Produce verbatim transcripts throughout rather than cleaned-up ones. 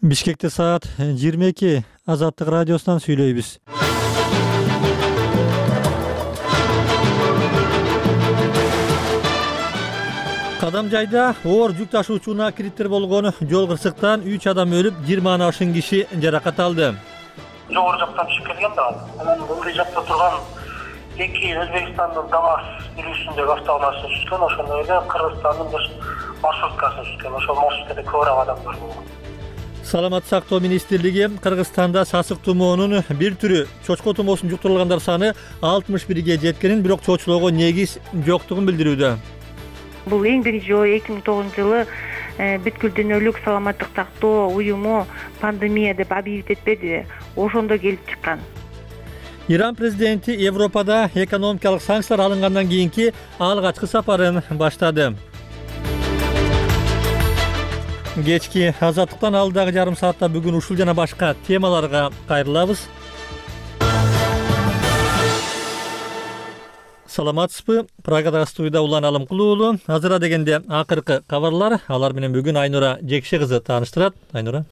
Бишкекте саат жыйырма эки. Азаттык радиосунан сүйлөйбүз. Кадамжайда оор жүк ташуучуна кириттер болгон жол кырсыктан үч адам өлүп, жыйырмадан ашык киши жаракат алды. Жогору жактан түшүп келген да. Анан ылдый жакта турган эки Өзбекстандын ДАМАЗ жүрүүсүндөгү автоунааны түшкөн, ошондой эле Кыргызстандын бир маршруткасы түшкөн. Ошол маршруткада көп адамдар болгон. Саламаттык сактоо министрлиги Кыргызстанда сасык тумоонун бир түрү чочко тумоосун жуктурулгандар саны алтымыш бирге жеткенин, бирок чоочулоого негиз жоктугун билдирүүдө. Бул эң биринчи жолу эки миң тогузунчу жылы бүткүл дүйнөлүк саламаттык сактоо уюму пандемия деп объявить этпеди, ошондо келип чыккан. Иран президенти Европада экономикалык санкциялар алынгандан кийинки алгачкы сапарын баштады. Кечки азаттыктан алдагы жарым саатта бүгүн ушул жана башка темаларга кайрылабыз. Саламатсызбы? Прагада студияда Улан Алымкулуу уулу. Азыра дегенде акыркы кабарлар, алар менен бүгүн Айнура Жекше кызы тааныштырат. Айнура.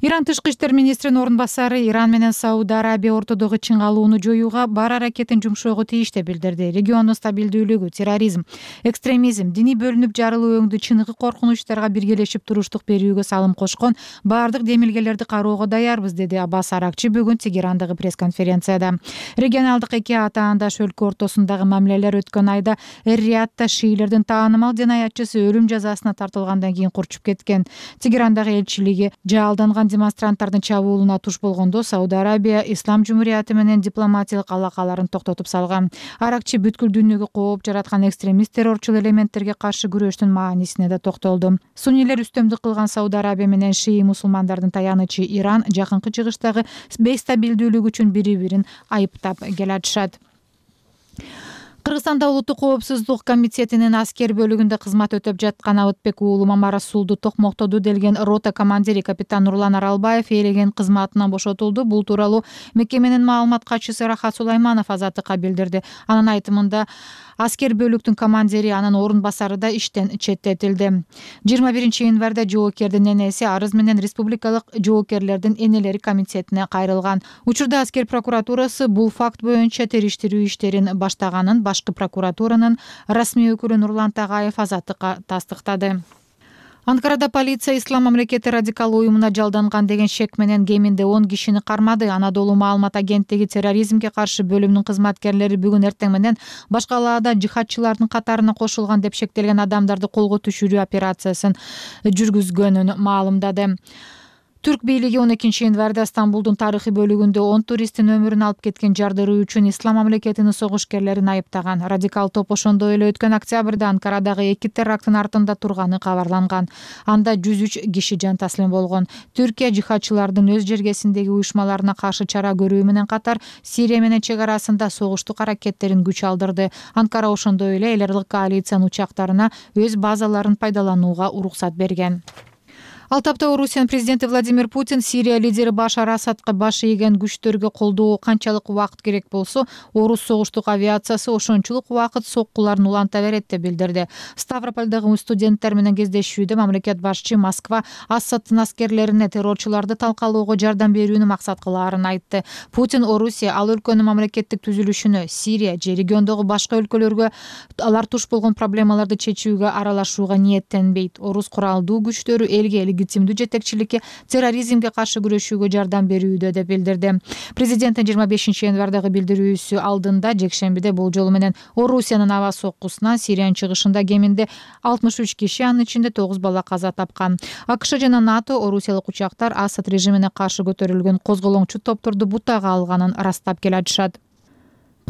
Иран тышкы иштер министринин орун басары Иран менен Сауд Арабия ортодогу чыңалууну жоюуга бар аракетин жумшоого тийиш деп билдирди. Региондун стабилдүүлүгү, терроризм, экстремизм, диний бөлүнүп жарылуу өңдү чыныгы коркунучтарга биргелешип туруштук берүүгө салым кошкон баардык демилгелерди кароого даярбыз, деди Аббас Аракчы бүгүн Тегерандагы пресс-конференцияда. Регионалдык эки атаандаш өлкө ортосундагы мамилелер өткөн айда Эр-Риядта шиилердин таанымал жанаятчысы өлүм жазасына тартылгандан кийин курчуп кеткен. Тегерандагы элчилиги жаалданган демонстранттардын чабуулуна туш болгондо Сауд Арабия Ислам Жумурияты менен дипломатиялык алакаларын токтотуп салган. Аракчы бүткүл дүйнөгө кооп жараткан экстремист террорчул элементтерге каршы күрөштүн маанисине да токтолду. Суннилер үстөмдүк кылган Сауд Арабия менен шии мусулмандардын таянычы Иран жакынкы чыгыштагы бейстабилдүүлүк үчүн бири-бирин айыптап келатышат. Кыргызстанда Улуттук коопсуздук комитетинин аскер бөлүгүндө кызмат өтөп жаткан Абытбек уулу Мамарасулду токмоктоду делген рота командири капитан Нурлан Аралбаев ээлеген кызматынан бошотулду. Бул тууралуу мекеменин маалымат катчысы Рахат Сулайманов Азаттыкка билдирди. Анын айтымында аскер бөлүктүн командири, анын орун басары да иштен четтетилди. жыйырма биринчи январда жоокердин энеси арыз менен Республикалык жоокерлердин энелери комитетине кайрылган. Учурда аскер прокуратурасы бул факт боюнча териштирүү иштерин баштаганын башкы прокуратуранын расмий өкүлү Нурлан Тагаев Азаттыкка тастыктады. Анкарада полиция Ислам мамлекети радикал уюмуна жалданган деген шек менен кеминде он кишини кармады. Анадолу маалымат агенттиги терроризмге каршы бөлүмүнүн кызматкерлери бүгүн эртең менен баш калаада жихадчылардын катарына кошулган деп шектелген адамдарды колго түшүрүү операциясын жүргүзгөнүн маалымдады. Түрк бийлиги он экинчи январда Стамбулдун тарыхый бөлүгүндө он туристтин өмүрүн алып кеткен жардыруу үчүн Ислам мамлекетинин согушкерлерин айыптаган. Радикал топ ошондой эле өткөн октябрда Анкарадагы эки теракттын артында турганы кабарланган. Анда жүз үч киши жан таслим болгон. Түркия жихадчылардын өз жергесиндеги уюшмаларына каршы чара көрүү менен катар Сирия менен чек арасында согуштук аракеттерин күч алдырды. Анкара ошондой эле эл аралык коалициянын учактарына өз базаларын пайдаланууга уруксат берген. Ал тапта Орусиянын президенти Владимир Путин Сирия лидери Башар Асадка баш ийген күчтөргө колдоо канчалык убакыт керек болсо, орус согуштук авиациясы ошончулук убакыт соккуларын уланта берет деп билдирди. Ставропольдогу студенттер менен кездешүүдө мамлекет башчы Москва Асадтын аскерлерине террорчуларды талкалоого жардам берүүнү максат кылаарын айтты. Путин Орусия ал өлкөнүн мамлекеттик түзүлүшүнө, Сирия же региондогу башка өлкөлөргө алар туш болгон проблемаларды чечүүгө аралашууга ниеттенбейт. Орус куралдуу күчтөрү элге легитимдүү жетекчиликке, терроризмге каршы күрөшүүгө жардам берүүдө деп билдирди. Президенттин жыйырма бешинчи январдагы билдирүүсү алдында жекшембиде бул жолу менен Орусиянын аба соккусунан Сириянын чыгышында кеминде алтымыш үч киши, анын ичинде тогуз бала каза тапкан. АКШ жана НАТО орусиялык учактар Асад режимине каршы көтөрүлгөн козголоңчу топторду бутага алганын ырастап келатышат.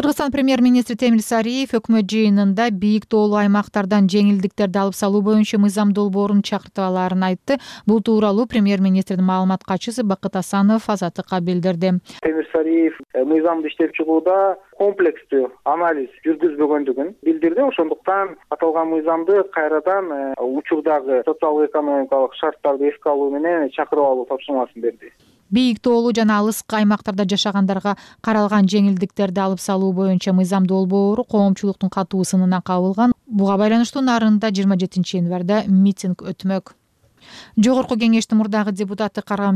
Кыргызстан премьер-министри Темир Сариев өкмөт жыйынында бийик тоолуу аймактардан жеңилдиктерди алып салуу боюнча мыйзам долбоорун чакыртып алаарын айтты. Бул тууралуу премьер-министрдин маалымат катчысы Бакыт Асанов Азаттыкка билдирди. Темир Сариев мыйзамды иштеп чыгууда комплекстүү анализ жүргүзбөгөндүгүн билдирди. Ошондуктан аталган мыйзамды кайрадан учурдагы социалдык-экономикалык шарттарды эске алуу менен чакырып алуу тапшырмасын берди. Бийик тоолуу жана алыскы аймактарда жашагандарга каралган жеңилдиктерди алып салуу боюнча мыйзам долбоору коомчулуктун катуу сынына кабылган. Буга байланыштуу нарында жыйырма жетинчи январда митинг өтмөк. Жогорку кеңештин мурдагы депутаты Каргам